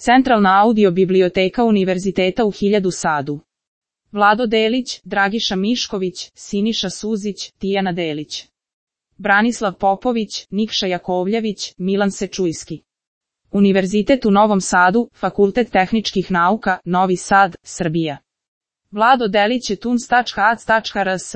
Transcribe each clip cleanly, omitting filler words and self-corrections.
Centralna audio biblioteka Univerziteta u Sadu. Vlado Delić, Dragiša Mišković, Siniša Suzić, Tijana Delić. Branislav Popović, Nikša Jakovljević, Milan Sečujski. Univerzitet u Novom Sadu, Fakultet tehničkih nauka, Novi Sad, Srbija. Vlado Delić je tuns.ac.rs.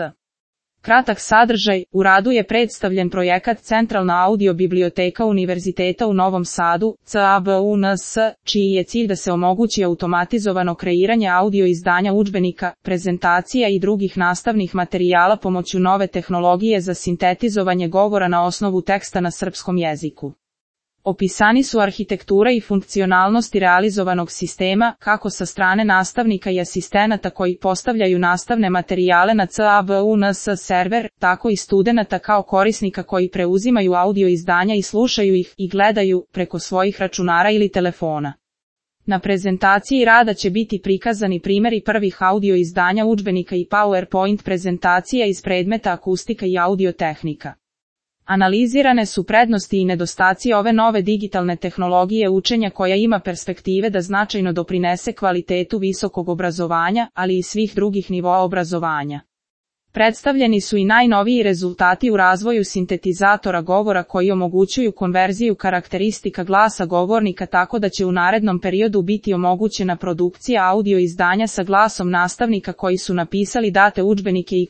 Kratak sadržaj, u radu je predstavljen projekat Centralna audio biblioteka Univerziteta u Novom Sadu, CABUNS, čiji je cilj da se omogući automatizovano kreiranje audio izdanja udžbenika, prezentacija i drugih nastavnih materijala pomoću nove tehnologije za sintetizovanje govora na osnovu teksta na srpskom jeziku. Opisani su arhitektura i funkcionalnosti realizovanog sistema, kako sa strane nastavnika i asistenata koji postavljaju nastavne materijale na CABUNS server, tako i studenata kao korisnika koji preuzimaju audio izdanja i slušaju ih i gledaju preko svojih računara ili telefona. Na prezentaciji rada će biti prikazani primjeri prvih audio izdanja udžbenika i PowerPoint prezentacija iz predmeta akustika i audiotehnika. Analizirane su prednosti i nedostaci ove nove digitalne tehnologije učenja koja ima perspektive da značajno doprinese kvalitetu visokog obrazovanja, ali i svih drugih nivoa obrazovanja. Predstavljeni su i najnoviji rezultati u razvoju sintetizatora govora koji omogućuju konverziju karakteristika glasa govornika tako da će u narednom periodu biti omogućena produkcija audio izdanja sa glasom nastavnika koji su napisali date udžbenike i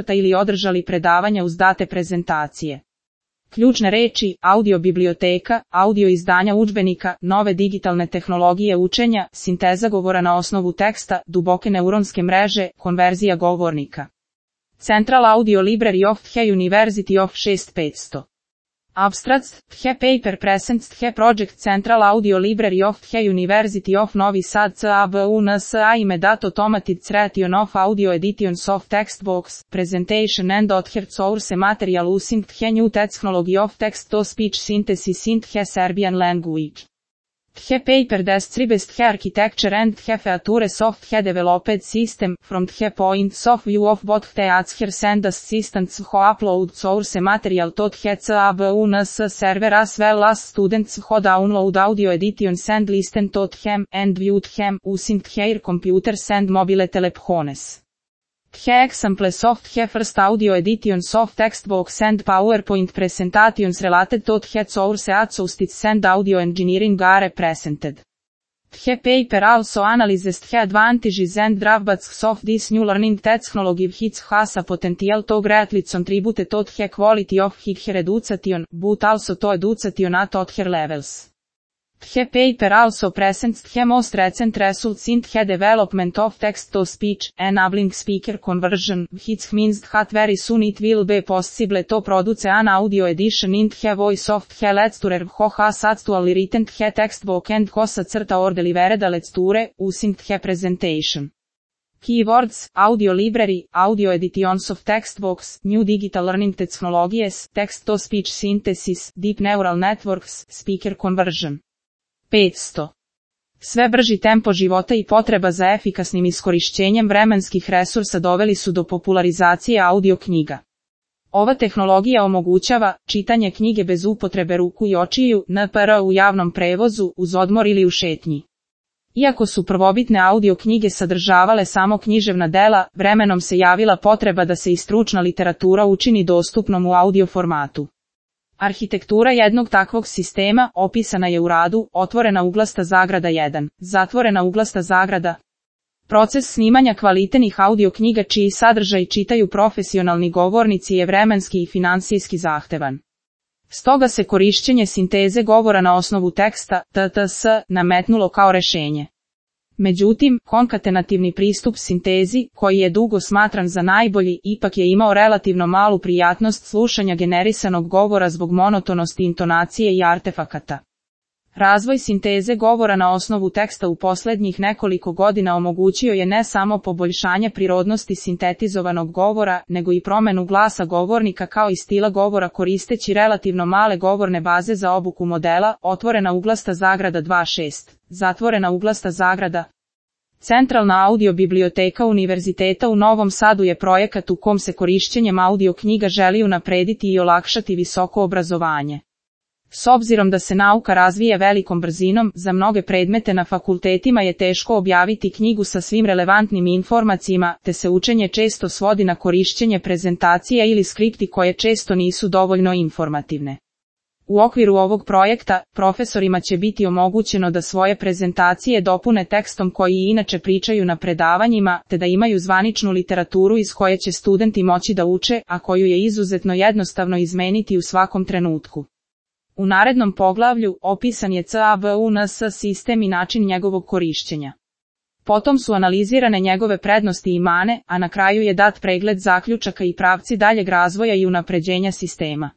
/ ili održali predavanja uz date prezentacije. Ključne reči, audio biblioteka, audio izdanja udžbenika, nove digitalne tehnologije učenja, sinteza govora na osnovu teksta, duboke neuronske mreže, konverzija govornika. Central Audio Library of the University of 6500. Abstracts, the paper presents the project Central Audio Library of the University of Novi Sad CABUNS aimed at automated creation of audio editions of textbooks, presentation and other source material using the new technology of text-to-speech synthesis in the Serbian language. The paper describes the architecture and the features of the developed system, from the points of view of both the authors and assistants who upload source material to the CABUNS server as well as students who download audio editions and listen to them, and view them, using their computers and mobile telephones. The examples of the first audio editions of textbooks and PowerPoint presentations related to the source acoustics and audio engineering are presented. The paper also analyzes the advantages and drawbacks of this new learning technology which has a potential to greatly contribute to the quality of higher education, but also to education at other levels. The paper also presents the most recent results in the development of text-to-speech, enabling speaker conversion, which means that very soon it will be possible to produce an audio edition in the voice of the lecturer who has actually written the textbook and who or delivered the lecture, using the presentation. Keywords, audio library, audio editions of textbooks, new digital learning technologies, text-to-speech synthesis, deep neural networks, speaker conversion. 500. Sve brži tempo života i potreba za efikasnim iskorišćenjem vremenskih resursa doveli su do popularizacije audio knjiga. Ova tehnologija omogućava čitanje knjige bez upotrebe ruku i očiju, NPR u javnom prevozu, uz odmor ili u šetnji. Iako su prvobitne audio knjige sadržavale samo književna dela, vremenom se javila potreba da se i stručna literatura učini dostupnom u audio formatu. Arhitektura jednog takvog sistema opisana je u radu, otvorena uglasta zagrada 1, zatvorena uglasta zagrada. Proces snimanja kvalitetnih audio knjiga čiji sadržaj čitaju profesionalni govornici je vremenski i finansijski zahtevan. Stoga se korišćenje sinteze govora na osnovu teksta, TTS, nametnulo kao rešenje. Međutim, konkatenativni pristup sintezi, koji je dugo smatran za najbolji, ipak je imao relativno malu prijatnost slušanja generisanog govora zbog monotonosti intonacije i artefakata. Razvoj sinteze govora na osnovu teksta u posljednjih nekoliko godina omogućio je ne samo poboljšanje prirodnosti sintetizovanog govora, nego i promjenu glasa govornika kao i stila govora koristeći relativno male govorne baze za obuku modela, otvorena uglasta zagrada 2.6, zatvorena uglasta zagrada. Centralna audio biblioteka Univerziteta u Novom Sadu je projekat u kom se korišćenjem audio knjiga želi unaprediti i olakšati visoko obrazovanje. S obzirom da se nauka razvija velikom brzinom, za mnoge predmete na fakultetima je teško objaviti knjigu sa svim relevantnim informacijama, te se učenje često svodi na korišćenje prezentacija ili skripti koje često nisu dovoljno informativne. U okviru ovog projekta, profesorima će biti omogućeno da svoje prezentacije dopune tekstom koji inače pričaju na predavanjima, te da imaju zvaničnu literaturu iz koje će studenti moći da uče, a koju je izuzetno jednostavno izmeniti u svakom trenutku. U narednom poglavlju opisan je CAVUNS sistem i način njegovog korišćenja. Potom su analizirane njegove prednosti i mane, a na kraju je dat pregled zaključaka i pravci daljeg razvoja i unapređenja sistema.